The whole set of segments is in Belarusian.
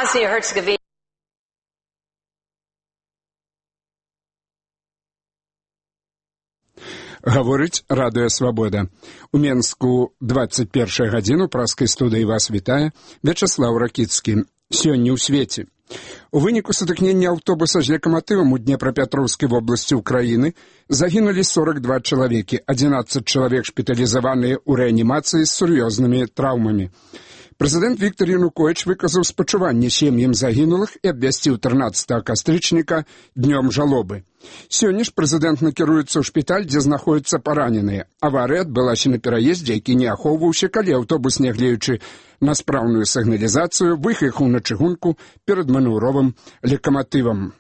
Боснии-Герцеговине. Гаворыць Радыё Свабода. У Менску 21 гадзіну праскай студыі вас вітае Вячаслаў Ракіцкі. Сёння ў свеце. У выніку сутыкнення аўтобуса з лакаматывам у Днепрапетроўскай вобласці ўкраіны загінулі 42 чалавекі, 11 чалавек шпіталізаваныя ў рэанімацыі з сур'ёзнымі траўмамі. Прэзідэнт Віктор Януковіч выказаў спачуванне сем'ям загінулых і абвясціў 13 кастрычніка днём жалобы. Сёння ж прэзідэнт накіруецца ў шпіталь, дзе знаходзяцца параненыя. Аварыя адбылася на пераездзе, які не ахоўваўся, калі аўтобус, нягледзячы на спраўную сігналізацыю, выехаў на чыгунку перад манеўровым лакаматывам.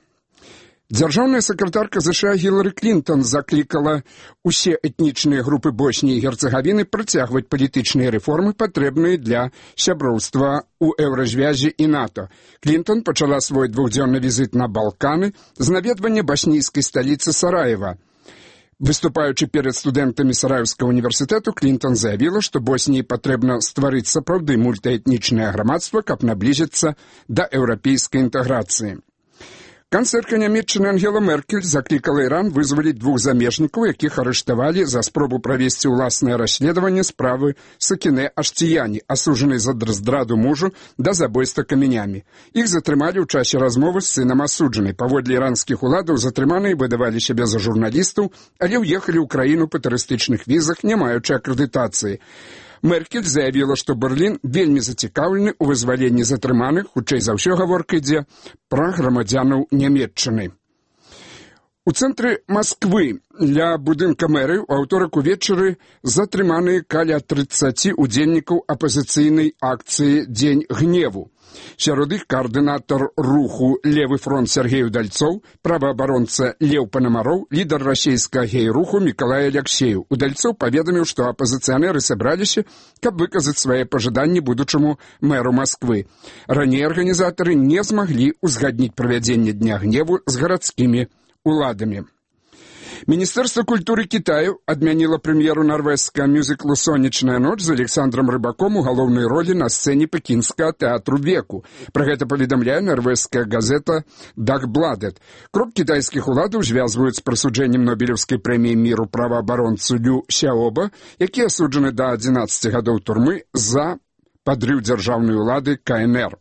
Дзяржаўная сакратарка ЗША Гілары Клінтон заклікала усе этнічныя групы Босніі і Герцеговіны працягваць палітычныя рэформы, патрэбныя для сяброўства ў Еўразвязі і НАТО. Клінтон пачала свой двухдзённы візіт на Балканы з наведвання баснійскай сталіцы Сараева. Выступаючы перад студэнтамі Сараевскага універсітэту, Клінтон заявіла, што Босніі патрэбна стварыць сапраўды мультаэтнічнае грамадства, каб наблізіцца да еўрапейскай інтэграцыі. Канцлерка Нямецчыны Ангела Меркель заклікала Іран вызваліць двух замежнікаў, якіх арыштавалі за спробу правесці ўласнае расследаванне справы Сакінэ Аштіяні, асуджанай за здраду мужу да забойства камянямі. Іх затрымалі ў часе размовы з сынам асуджанай. Паводле іранскіх уладаў затрыманыя выдавалі сябе за журналістаў, але ўехалі ў краіну па турыстычных візах, не маючы акрэдытацыі. Меркель заявіла, што Берлін вельмі зацікаўлены ў вызваленні затрыманых, хутчэй за ўсё гаворка ідзе пра грамадзянаў Нямецчыны. У цэнтры Масквы ля будынка мэрыі ў аўторак увечары затрыманыя каля 30 удзельнікаў апазіцыйнай акцыі «Дзень гневу». Сярод іх каардынатар руху «Левы фронт» Сергей Удальцоў, праваабаронца Леў Панамароў, лідар расійскага гей-руху Мікалай Аляксеев. Удальцоў паведаміў, што апазіцыянеры сабраліся, каб выказаць свае пажаданні будучаму мэру Масквы. Раней арганізатары не змаглі узгадніць правядзенне Дня гневу з гарадскімі уладамі. Міністэрства культуры Кітаю адмяніла прэм'еру нарвежскага мюзіклу «Сонечная ноч» з Александром Рыбаком у галоўнай ролі на сцэне пекінскага тэатру веку. Пра гэта паведамляе нарвежская газета «Дагбладет». Крок кітайскіх уладаў звязваюць з прысуджэннем Нобелеўскай прэміі міру праваабаронцу Лю Сяоба, які асуджаны да 11 гадоў турмы за падрыў дзяржаўнай улады КНР.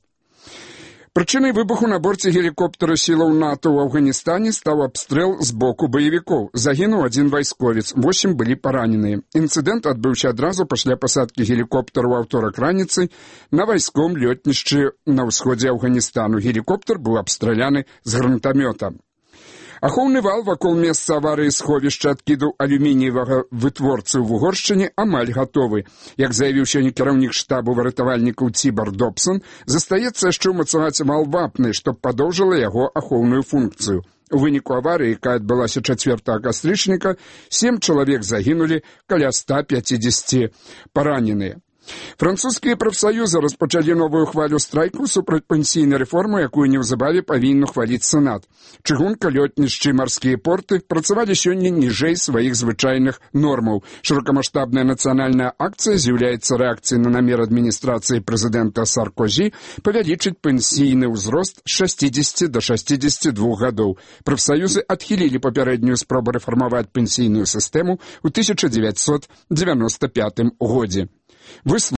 Прычынай выбуху на борце гелікоптера сілаў НАТО ў Афганістане стаў абстрэл з боку баевікоў. Загінуў один вайсковец, 8 былі параненыя. Інцыдэнт адбыўся адразу пасля пасадкі гелікоптера ў аўторак раніцай на вайсковым лётнішчы на ўсходзе Афганістану. Гелікоптер быў абстраляны з гранатамёта. Ахоўны вал вакол месца аварыі сховішча адкіду алюмініевага вытворцы ў Угоршчыне амаль гатовы. Як заявіў сёння кіраўнік штабу выратавальнікаў Цібар Добсон, застаецца яшчэ ўмацаваць вал вапны, што падоўжыла яго ахоўную функцыю. У выніку аварыі, якая адбылася 4 кастрычніка, 7 чалавек загінулі, каля 150 параненыя. Французскія прафсаюзы распачалі новую хвалю страйку супраць пенсійнай рэформы, якую неўзабаве павінен ухваліць Сенат. Чыгунка, лётнішчы і марскія порты працавалі сёння ніжэй сваіх звычайных нормаў. Шырокамаштабная нацыянальная акцыя з'яўляецца рэакцыяй на намер адміністрацыі прэзідэнта Саркозі павялічыць пенсійны ўзрост з 60 до 62 гадоў. Прафсаюзы адхілілі папярэднюю спробу рэфармаваць пенсійную сістэму ў 1995 годзе.